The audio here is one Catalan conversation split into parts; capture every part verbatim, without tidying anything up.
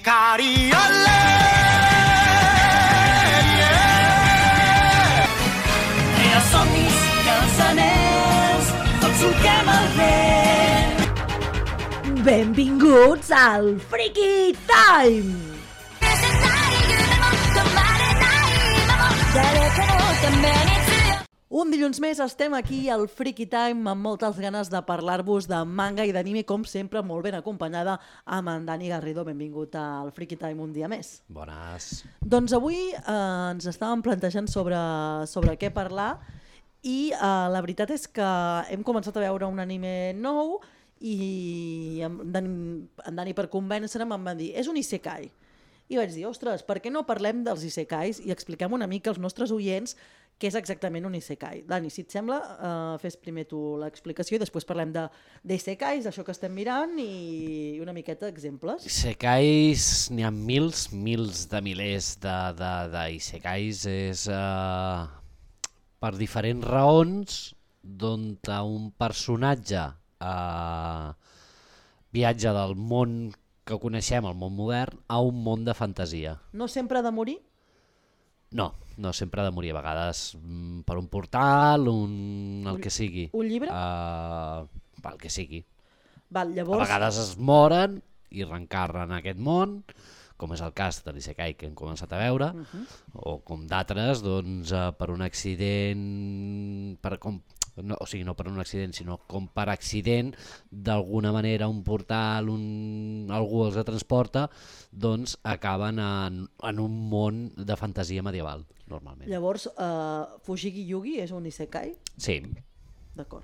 Ikari, olé! I els somnis i els anells, tots solquem el vent. Benvinguts al Freaky Time! Un dilluns més estem aquí al Freaky Time amb moltes ganes de parlar-vos de manga i d'anime, com sempre, molt ben acompanyada amb en Dani Garrido. Benvingut al Freaky Time un dia més. Bones. Doncs avui eh, ens estàvem plantejant sobre, sobre què parlar i eh, la veritat és que hem començat a veure un anime nou i en Dani, en Dani per convèncer-me em va dir és un isekai. I vaig dir, ostres, per què no parlem dels isekais i expliquem una mica als nostres oients què és exactament un isekai. Dani, si et sembla, eh, fes primer tu l'explicació i després parlem de d'isekais, d'això que estem mirant i una miqueta d'exemples. Isekais, n'hi ha mils, mils de milers de, de, de isekais. És uh, per diferents raons d'on un personatge uh, viatja del món que coneixem, el món modern, a un món de fantasia. No sempre ha de morir? No, no sempre ha de morir. A vegades mm, per un portal, un, el que sigui. Un llibre? Uh, el que sigui. Val, llavors... A vegades es moren i reencarnen en aquest món, com és el cas de l'Isekai que hem començat a veure, uh -huh. o com d'altres, doncs, uh, per un accident, per, com, no, o sigui, no per un accident, sinó com per accident, d'alguna manera un portal, un, algú els transporta, doncs acaben en, en un món de fantasia medieval, normalment. Llavors, uh, Fujigi Yugi és un isekai? Sí. D'acord.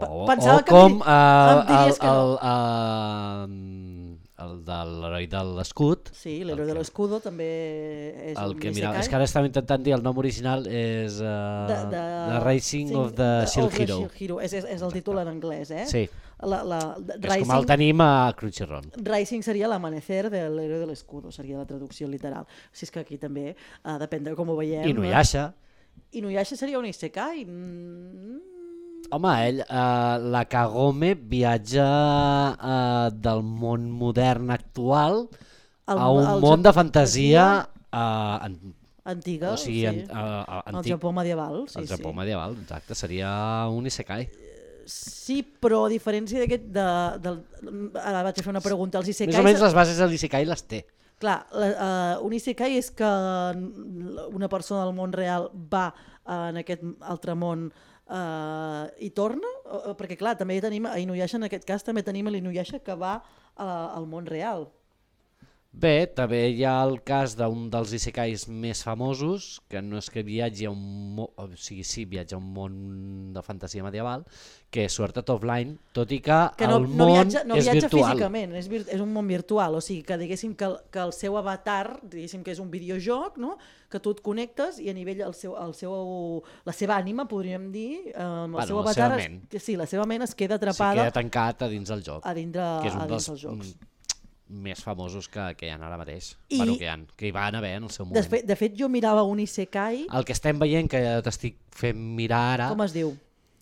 O, Pensava o que com em, di- uh, em diries el, que no. el, uh, el de l'heroi de l'escut. Sí, l'heroi de l'escudo també és El un que, isekai. mira, és que ara estava intentant dir el nom original és uh, De, de, The Rising sí, of the Shield of the Hero. Shield Hero. És, és, és el títol en anglès, eh? Sí, La, la, de, és com el Rising, tenim a Crunchyroll. Rising seria l'amanecer de l'heroi de l'escudo, seria la traducció literal. O sigui, és que aquí també, uh, depèn de com ho veiem. Inuyasha. Inuyasha seria un isekai? Mm, Home, ell, uh, la Kagome viatja uh, del món modern actual El- a un el món Jap- de fantasia uh, en, antiga, o sigui, sí. en, uh, uh, El antic. Japó medieval, sí, El Japó sí. medieval, exacte, seria un isekai. Sí, però a diferència d'aquest... De, del, ara vaig a fer una pregunta. Els isekais... Més o menys les bases de l'isekai les té. Clar, la, uh, un isekai és que una persona del món real va uh, en aquest altre món uh, i torna? Uh, perquè clar, també tenim a Inuyasha, en aquest cas també tenim a l'Inuyasha que va uh, al món real. Bé, també hi ha el cas d'un dels isekais més famosos, que no és que viatgi a un món, o sigui, sí, viatja a un món de fantasia medieval, que és Sword Art Online, tot i que, Que no, el no món viatja, no és viatja virtual. físicament, és, vir, és un món virtual, o sigui que diguéssim que el, que el seu avatar, diguéssim que és un videojoc, no? Que tu et connectes i a nivell el seu, el seu, la seva ànima, podríem dir, eh, amb el Bueno, seu la avatar, seva es, ment. sí, la seva ment es queda Sí, atrapada queda tancat a dins del joc, a dintre, que és un a dins dels dels jocs. mm, més famosos que, que hi ha ara mateix. I- Bueno, que hi, ha, que hi van haver en el seu moment. De fet, de fet, jo mirava un isekai, El que estem veient, que t'estic fent mirar ara, com es diu?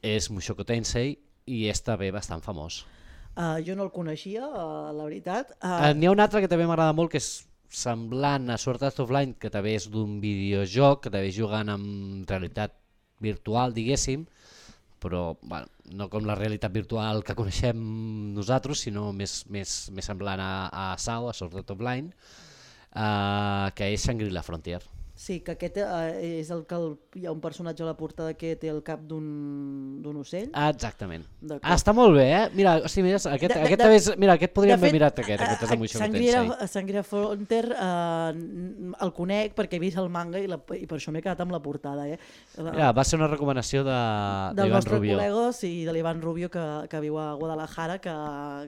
és Mushoku Tensei, i és també bastant famós. Uh, jo no el coneixia, uh, la veritat. Uh, Uh, N'hi ha un altre que també m'agrada molt, que és semblant a Sword Art Online, que també és d'un videojoc, que també jugant amb realitat virtual, diguéssim, però bueno, no com la realitat virtual que coneixem nosaltres, sinó més, més, més semblant a, a S A O, a Sword Art Online, uh, que és Shangri-La Frontier. sí, que aquest uh, és el que el, hi ha un personatge a la portada que té el cap d'un d'un ocell. Ah, exactament. D'acord. Ah, està molt bé, eh? Mira, hosti, mira, aquest, De- de- aquest, de- també és, mira, aquest podríem de fet, haver mirat aquest, aquest és a- de Mushoku Shangri-La Tensei. Shangri-La Frontier uh, el conec perquè he vist el manga i, la, i per això m'he quedat amb la portada. Eh? Mira, va ser una recomanació de, Del d'Ivan nostre Rubio. col·lega, sí, de l'Ivan Rubio, que, que viu a Guadalajara, que,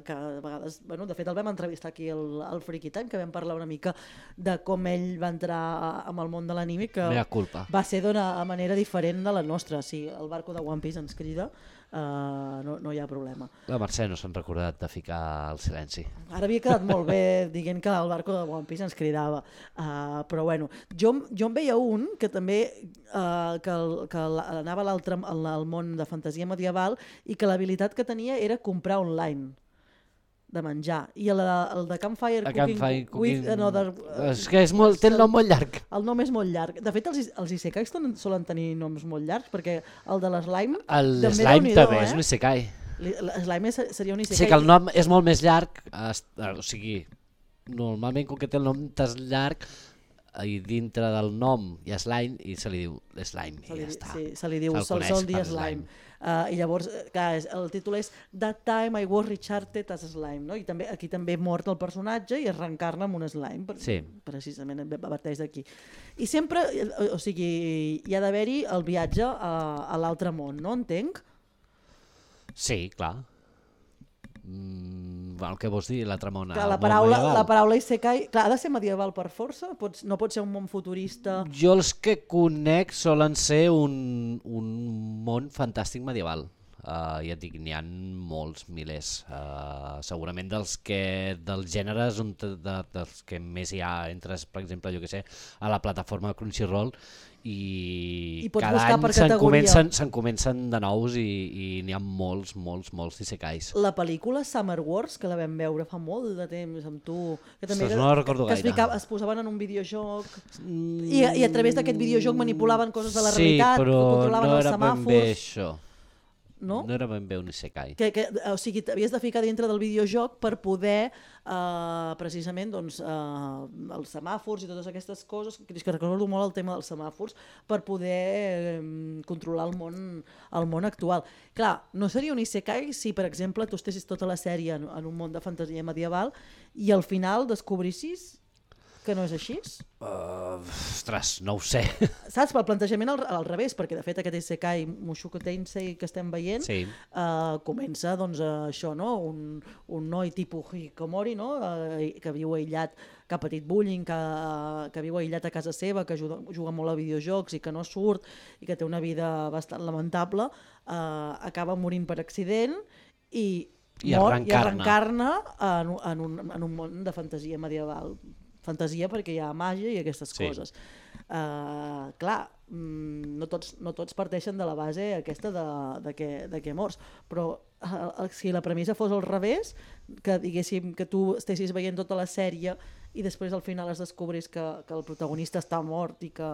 que a vegades, bueno, de fet el vam entrevistar aquí al, al Freaky Time, que vam parlar una mica de com ell va entrar amb el món de l'anime, que Mea culpa. va ser d'una manera diferent de la nostra. Si el barco de One Piece ens crida, uh, no, no hi ha problema. La Mercè no s'han recordat de ficar el silenci. Ara havia quedat molt bé dient que el barco de One Piece ens cridava, uh, però bueno, jo, jo en veia un que també uh, que, el, que anava a l'altre al, al món de fantasia medieval i que l'habilitat que tenia era comprar online. de menjar. I el, el de Campfire A Cooking, Campfire with Cooking- Another... És que és molt, té el nom molt llarg. El nom és molt llarg. De fet, els, is- els isekais ton- solen tenir noms molt llargs, perquè el de l'slime... El també slime Déu-n'hi-do, també eh? és un isekai. Li- L'slime és- seria un isekai. Sí que el nom és molt més llarg, es- o sigui, normalment com que té el nom tas llarg, i dintre del nom hi ha slime i se li diu slime Se i li, ja està. sí, se li diu, Se'l se'l coneix sol dir per slime. Uh, I llavors, eh, clar, és- el títol és That Time I Was Recharted as Slime, no? I també, aquí també mort el personatge i es reencarna amb un slime, per, Sí. precisament parteix d'aquí. I sempre, eh, o sigui, hi ha d'haver-hi el viatge a, a l'altre món, no? Entenc? Sí, clar. Mm, bueno, què vols dir, l'altre món? Que el la món paraula, medieval? la paraula isekai, clar, ha de ser medieval per força? Pots, no pot ser un món futurista? Jo els que conec solen ser un, un món fantàstic medieval. Uh, ja et dic, n'hi ha molts, milers. Uh, segurament dels que dels gèneres on, te- de, dels que més hi ha, entres, per exemple, jo que sé, a la plataforma Crunchyroll i, I pots cada buscar any per se'n categoria. comencen, se'n comencen de nous i, i n'hi ha molts, molts, molts d'isekais. La pel·lícula Summer Wars, que la vam veure fa molt de temps amb tu, que també Ostres, que, no la recordo que es, gaire. ficava, es posaven en un videojoc Mm, i, i a través d'aquest videojoc manipulaven coses de la sí, realitat, però controlaven no els era ben bé semàfors, això. no? No era ben bé un isekai. Que, que, o sigui, t'havies de ficar dintre del videojoc per poder eh, precisament doncs, eh, els semàfors i totes aquestes coses, que és que recordo molt el tema dels semàfors, per poder eh, controlar el món, el món actual. Clar, no seria un isekai si, per exemple, tu estessis tota la sèrie en, en un món de fantasia medieval i al final descobrissis que no és així? Uh, ostres, no ho sé. Saps? Pel plantejament al, al revés, perquè de fet aquest isekai Mushoku Tensei que estem veient Sí. eh, comença doncs, a això, no? un, un noi tipus Hikomori, no? eh, que viu aïllat, que ha patit bullying, que, que viu aïllat a casa seva, que juga, juga molt a videojocs i que no surt i que té una vida bastant lamentable, eh, acaba morint per accident i, I mor es i es reencarna. reencarna en, un- en, un, en un món de fantasia medieval. Fantasia perquè hi ha màgia i aquestes Sí. coses. Uh, clar, mm, no, tots, no tots parteixen de la base aquesta de, de, que, de que mors, però uh, si la premissa fos al revés, que diguéssim que tu estessis veient tota la sèrie i després al final es descobris que, que el protagonista està mort i que,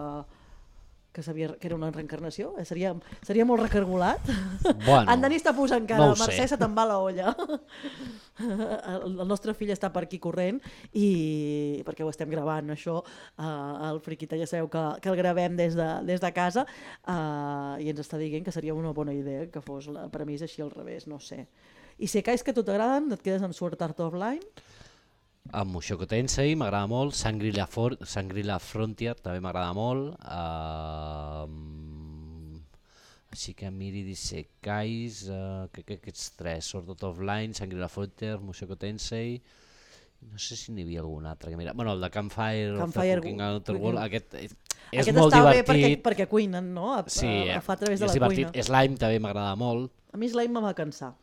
que, sabia, que era una reencarnació, eh? seria, seria molt recargolat. Bueno, En Dani està posant cara, no ho sé. Mercè, se te'n va la olla. El, el nostre fill està per aquí corrent i perquè ho estem gravant això, uh, el Friquita ja sabeu que, que el gravem des de, des de casa uh, i ens està dient que seria una bona idea que fos la premissa així al revés, no sé. I si cais que a tu t'agraden, et quedes amb Sword Art Online? Amb Mushoku Tensei m'agrada molt, Shangri-La For Shangri-La Frontier també m'agrada molt, uh, així que miri d'isekais, uh, que, que aquests tres, Sword Art Online, Shangri-La Frontier, Mushoku Tensei, no sé si n'hi havia algun altre que mira, bueno, el de Campfire, Campfire of the Cooking Cooking. Underworld, aquest és, és Aquest molt està bé divertit. perquè, perquè cuinen, no? A, Sí, a, a fa a través de és la divertit. cuina. Slime també m'agrada molt. A mi Slime em va cansar.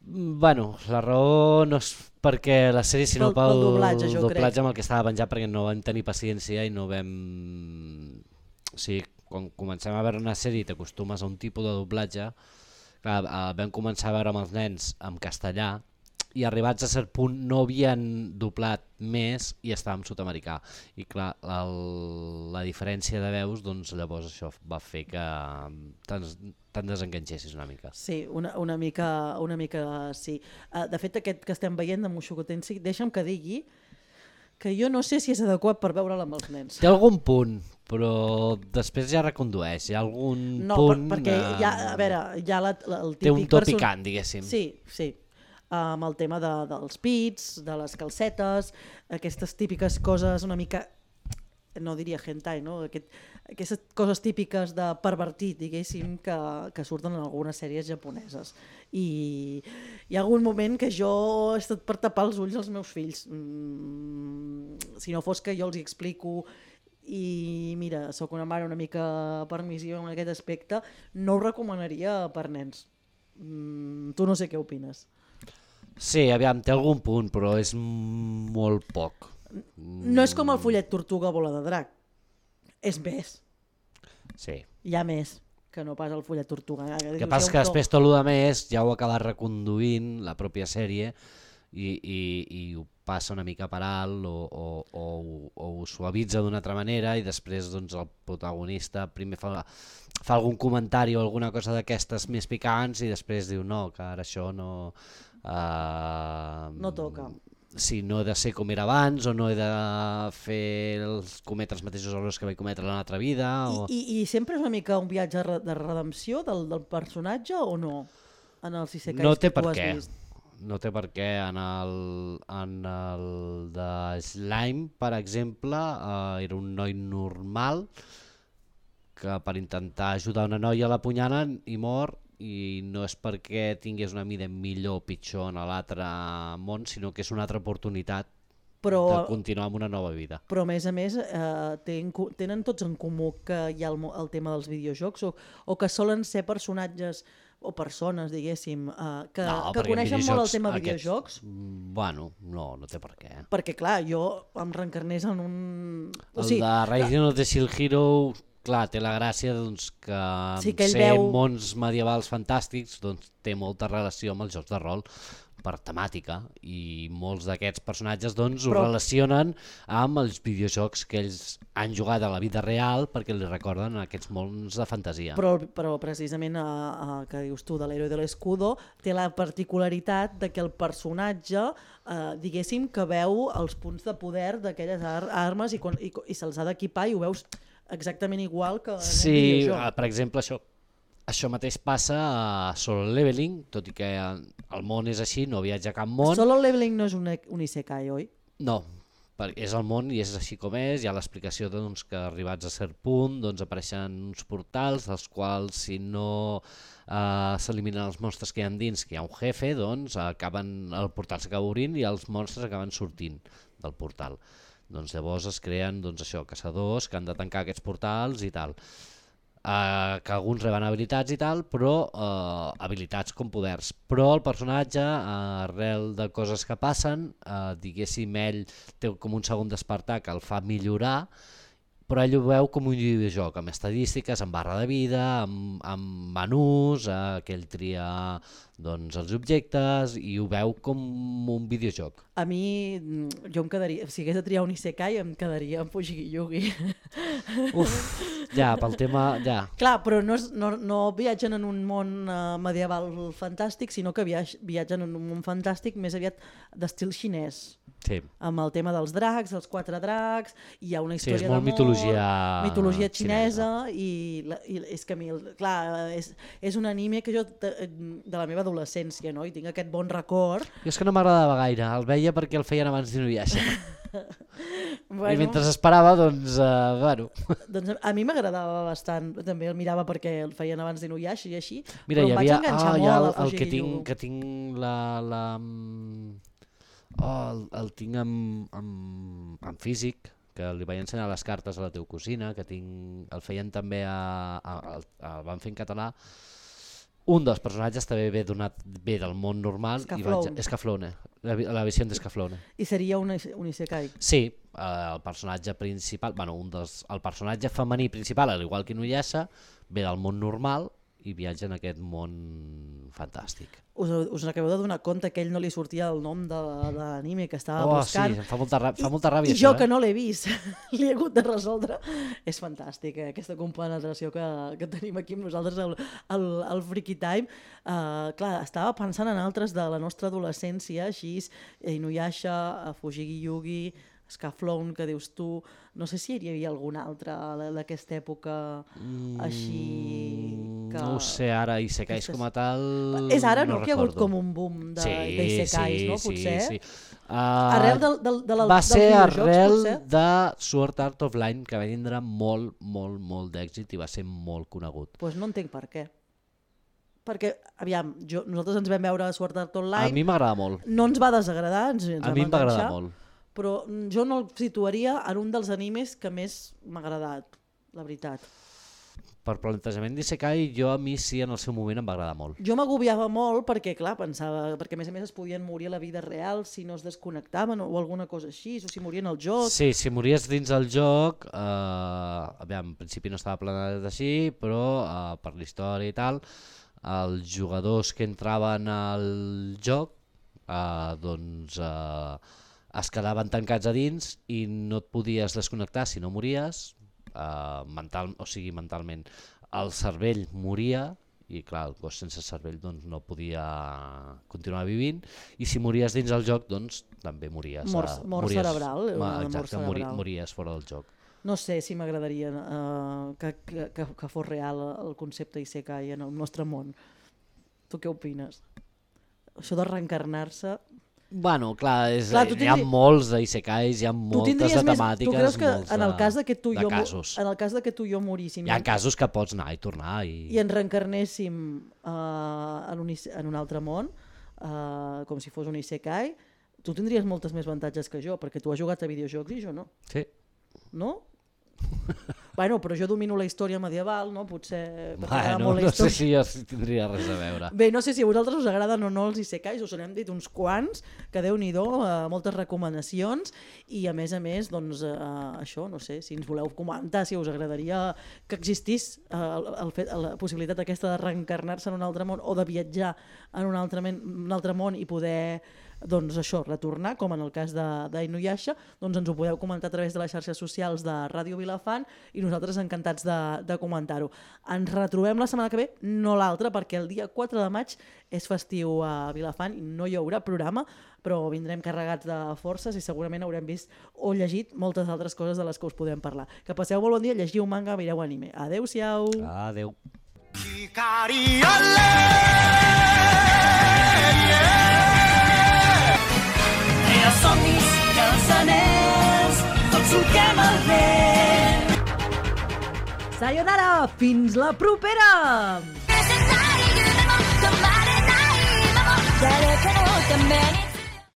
Mm, Bueno, la raó no és perquè la sèrie, sinó Pel- pel, pel doblatge, jo crec. doblatge amb el que estava penjat, perquè no vam tenir paciència i no vam... O sigui, quan comencem a veure una sèrie i t'acostumes a un tipus de doblatge, clar, eh, vam començar a veure amb els nens en castellà i arribats a cert punt no havien doblat més i estàvem sud-americà. I clar, el, la diferència de veus, doncs llavors això va fer que te'n te'n desenganxessis una mica. Sí, una, una, mica, una mica sí. Uh, de fet, aquest que estem veient de Mushoku Tensei, deixa'm que digui que jo no sé si és adequat per veure'l amb els nens. Té algun punt, però després ja recondueix. Hi ha algun No, punt... per, perquè eh, hi ha, a veure, hi ha la, la, el típic... té un to perso- picant, diguéssim. Sí, sí. Amb el tema de, dels pits, de les calcetes, aquestes típiques coses una mica, no diria hentai, no? Aquest, aquestes coses típiques de pervertit, diguéssim, que, que surten en algunes sèries japoneses. I hi ha algun moment que jo he estat per tapar els ulls als meus fills. Mm, si no fos que jo els hi explico i mira, sóc una mare una mica permissiva en aquest aspecte, no ho recomanaria per nens. Mm, tu no sé què opines. Sí, aviam, té algun punt, però és molt poc. No és com el follet tortuga bola de drac, és més, Sí. hi ha més, que no pas el Fullet Tortuga. Eh? El que passa que després tot el més ja ho acaba reconduint la pròpia sèrie i, i, i ho passa una mica per alt o, o, o, o ho suavitza d'una altra manera i després doncs, el protagonista primer fa, fa algun comentari o alguna cosa d'aquestes més picants i després diu no, que ara això no... Uh, no toca. Sí, no he de ser com era abans o no he de fer els, cometre els mateixos errors que vaig cometre en l'altra vida. O... I, i, I sempre és una mica un viatge de redempció del, del personatge o no? En els isekais no té que tu per has què. vist. No té per què. En el, en el de Slime, per exemple, eh, era un noi normal que per intentar ajudar una noia a l'apunyanen i mor, i no és perquè tingués una mida millor o pitjor en l'altre món, sinó que és una altra oportunitat però, de continuar amb una nova vida. Però a més a més eh, ten, tenen tots en comú que hi ha el, el tema dels videojocs o, o que solen ser personatges o persones, diguéssim, eh, que, no, que coneixen molt el tema aquests, videojocs? Bueno, no, no té per què. Perquè clar, jo em reencarnés en un... O el sigui, de Rising of the Shield Hero, clar, té la gràcia doncs, que, sí, que ser veu... mons medievals fantàstics doncs, té molta relació amb els jocs de rol per temàtica i molts d'aquests personatges doncs, Però... ho relacionen amb els videojocs que ells han jugat a la vida real perquè li recorden aquests mons de fantasia. Però, però precisament a, a, que dius tu de l'Héroe de l'Escudo té la particularitat de que el personatge eh, diguéssim que veu els punts de poder d'aquelles ar armes i, i, i se'ls ha d'equipar i ho veus exactament igual que en sí, un videojoc. Sí, per exemple això. Això mateix passa a Solo Leveling, tot i que el món és així, no viatja a cap món. Solo Leveling no és un, un isekai, oi? No, és el món i és així com és, hi ha l'explicació doncs, que arribats a cert punt doncs, apareixen uns portals, dels quals si no eh, s'eliminen els monstres que hi ha dins, que hi ha un jefe, doncs acaben, el portal s'acaba obrint i els monstres acaben sortint del portal. Doncs llavors es creen doncs, això, caçadors que han de tancar aquests portals i tal. Uh, que alguns reben habilitats i tal, però uh, habilitats com poders. Però el personatge, uh, arrel de coses que passen, uh, diguéssim, ell té com un segon despertar que el fa millorar, però ell ho veu com un videojoc, amb estadístiques, amb barra de vida, amb, amb menús, uh, que ell tria doncs, els objectes i ho veu com un videojoc. A mi, jo em quedaria, si hagués de triar un isekai, em quedaria amb Fushigi Yugi. Uf, ja, pel tema, ja. Clar, però no, és, no, no viatgen en un món uh, medieval fantàstic, sinó que viatgen en un món fantàstic més aviat d'estil xinès. Sí. Amb el tema dels dracs, els quatre dracs, hi ha una història sí, és molt d'amor, mitologia, mitologia xinesa, xinesa. I, la, i és que a mi, clar, és, és un anime que jo de, de la meva adolescència, no? I tinc aquest bon record. Jo és que no m'agradava gaire, el veia perquè el feien abans d'Inuyasha. Bueno, I mentre esperava, doncs, uh, bueno. Doncs a mi m'agradava bastant, també el mirava perquè el feien abans d'Inuyasha i així, Mira, però em vaig havia, enganxar ah, molt el, a el Fushigi que tinc, Yugi. que tinc la... la oh, el, el tinc en, en, en físic, que li vaig ensenyar les cartes a la teva cosina, que tinc, el feien també a, a, a, a el van fer en català. Un dels personatges també ve, donat, ve del món normal. Scaflowne. Scaflowne, la, la visió de Scaflowne. I seria un, un isekai. Sí, eh, el personatge principal, bueno, un dels, el personatge femení principal, al igual que Inuyasha, ve del món normal i viatja en aquest món fantàstic. Us, us acabeu de donar compte que ell no li sortia el nom de, de l'anime que estava oh, buscant. Sí, em fa molta, fa molta ràbia. I, I jo això, que eh? no l'he vist, l'he hagut de resoldre. És fantàstic, eh? Aquesta compenetració que, que tenim aquí amb nosaltres al, al, al Freaky Time. Uh, clar, estava pensant en altres de la nostra adolescència, així, Inuyasha, Fushigi Yugi, Scaflowne, que dius tu, no sé si hi havia algun altre d'aquesta època així que... No ho sé, ara Isekais Aquestes... com a tal... És ara, no, no que hi ha hagut recordo. com un boom d'Isekais, sí, sí, no, sí, potser? Sí, sí. Uh, Arrel del, del, de la, va dels ser videojocs, arrel potser? de Sword Art Online, que va tindre molt, molt, molt d'èxit i va ser molt conegut. Doncs pues no entenc per què. Perquè, aviam, jo, nosaltres ens vam veure Sword Art Online... A mi m'agrada molt. No ens va desagradar, ens, ens A mi m'agrada molt. Però jo no el situaria en un dels animes que més m'ha agradat, la veritat. per plantejament d'Isekai, jo a mi sí en el seu moment em va agradar molt. Jo m'agobiava molt perquè, clar, pensava, perquè a més a més es podien morir a la vida real si no es desconnectaven o alguna cosa així, o si morien al joc. Sí, si mories dins el joc, eh, aviam, en principi no estava planejat així, però eh, per la història i tal, els jugadors que entraven al joc eh, doncs eh, es quedaven tancats a dins i no et podies desconnectar si no mories. Uh, mental, o sigui, mentalment el cervell moria i clar, el cos sense cervell doncs, no podia continuar vivint i si mories dins el joc doncs també mories. Mort, uh, mort mories, cerebral. Ma, Una exacte, mort cerebral. Mori, mories fora del joc. No sé si m'agradaria uh, que, que, que, que fos real el concepte Isekai en el nostre món. Tu què opines? Això de reencarnar-se... Bueno, clar, és, clar tindri... hi ha molts d'Isekais, hi ha moltes de temàtiques, tu creus que molts en el cas de que tu i jo, casos. En el cas de que tu i jo moríssim... Hi ha casos que pots anar i tornar. I, I ens reencarnéssim uh, en, un, en un altre món, uh, com si fos un Isekai, tu tindries moltes més avantatges que jo, perquè tu has jugat a videojocs i jo no. Sí. No? Bueno, però jo domino la història medieval, no? Potser... Bueno, molt no sé història. si jo tindria res a veure. Bé, no sé si a vosaltres us agraden o no els Isekais, us n'hem dit uns quants, que Déu-n'hi-do, eh, moltes recomanacions, i a més a més, doncs, eh, això, no sé, si ens voleu comentar, si us agradaria que existís eh, el, el fet, la possibilitat aquesta de reencarnar-se en un altre món o de viatjar en un altre, men, un altre món i poder... doncs això, retornar, com en el cas d'Inuyasha, doncs ens ho podeu comentar a través de les xarxes socials de Ràdio Vilafant i nosaltres encantats de, de comentar-ho. Ens retrobem la setmana que ve, no l'altra, perquè el dia quatre de maig és festiu a Vilafant i no hi haurà programa, però vindrem carregats de forces i segurament haurem vist o llegit moltes altres coses de les que us podem parlar. Que passeu molt bon dia, llegiu manga, mireu anime. Adéu-siau! Adéu! Els somnis i els anells, tots solquem el vent. Sayonara! Fins la propera! 誰かのために